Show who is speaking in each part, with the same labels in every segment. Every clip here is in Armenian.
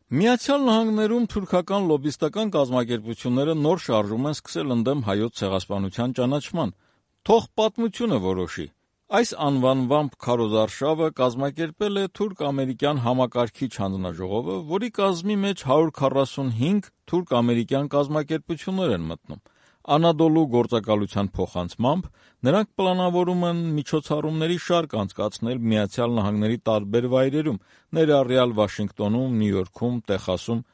Speaker 1: Միացյալ Նահանգներում թուրքական լոբբիստական կազմակերպությունները նոր շարժում են սկսել ընդդեմ Հայոց ցեղասպանության ճանաչման։ Թող պատմությունը որոշի։ Այս անվանվամբ քարոզարշավը կազմակերպել է թուրք-ամերիկյան համակարգիչ հանձնաժողովը, որի կազմի մեջ 145 թուրք-ամերիկյան կազմակերպություններ են մտնում։ Անադոլու գործակալության փոխանցմամբ նրանք պլանավորում են միջոցառումների շարք անցկացնել Միացյալ Նահանգների տարբեր վայրերում, ներառյալ Վաշինգտոնում, Նյու Յորքում, Տեխասում։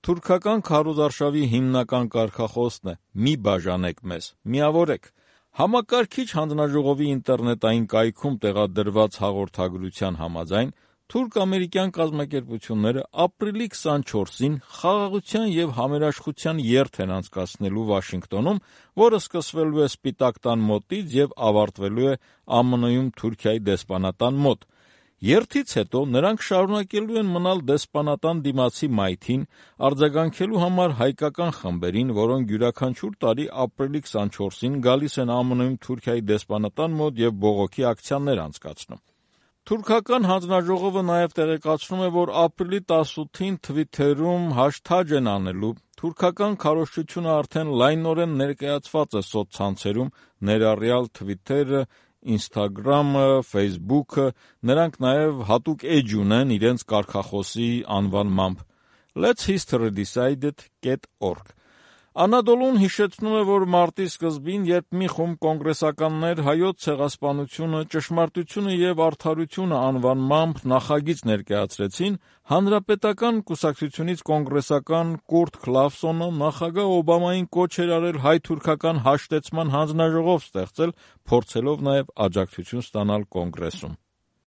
Speaker 1: Թուրքական քարոզարշավի հիմնական կարգախոսն է՝ «Մի բաժանեք մեզ, միավորեք»։ Համակարգիչ հանձնաժողովի ինտերնետային կայքում տեղադրված հաղորդագրության համաձայն, թուրք-ամերիկյան կազմակերպությունները ապրիլի 24-ին խաղաղության և համերաշխության երթ են անցկացնելու Վաշինգտոնում, որը սկսվելու է Սպիտակ տան մոտից և ավարտվելու է ԱՄՆ-ում Թուրքիայի դեսպանատան մոտ։ Երթից հետո նրանք շարունակելու են մնալ դեսպանատան դիմացի մայթին, արձագանքելու համար հայկական խմբերին, որոնք յուրաքանչյուր տարի ապրիլի 24-ին գալիս են ԱՄՆ-ում Թուրքիայի դեսպանատան մոտ և բողոքի ակցիաներ անցկացնում։ Թուրքական հանձնաժողովը նաև տեղեկացնում է, որ ապրիլի 18-ին Թվիթերում հաշթաջ են անելու։ Թուրքական քարոզչությունը արդեն լայնորեն ներկայացված է սոցցանցերում, ներառյալ Թվիթերը, Ինստագրամը, Ֆեյսբուքը, նրանք նաև հատուկ էջ ունեն իրենց կարգախոսի անվանմամբ letshistorydecided.org։ Անադոլուն հիշեցնում է, որ մարտի սկզբին, երբ մի խումբ կոնգրեսականներ «Հայոց ցեղասպանությունը, ճշմարտությունը և արդարությունը» անվանմամբ նախագիծ ներկայացրեցին, հանրապետական կուսակցությունից կոնգրեսական Կուրթ Քլավսոնը նախագահ Օբամային կոչ էր արել հայ-թուրքական հաշտեցման հանձնաժողով ստեղծել, փորձելով նաև աջակցություն ստանալ Կոնգրեսում։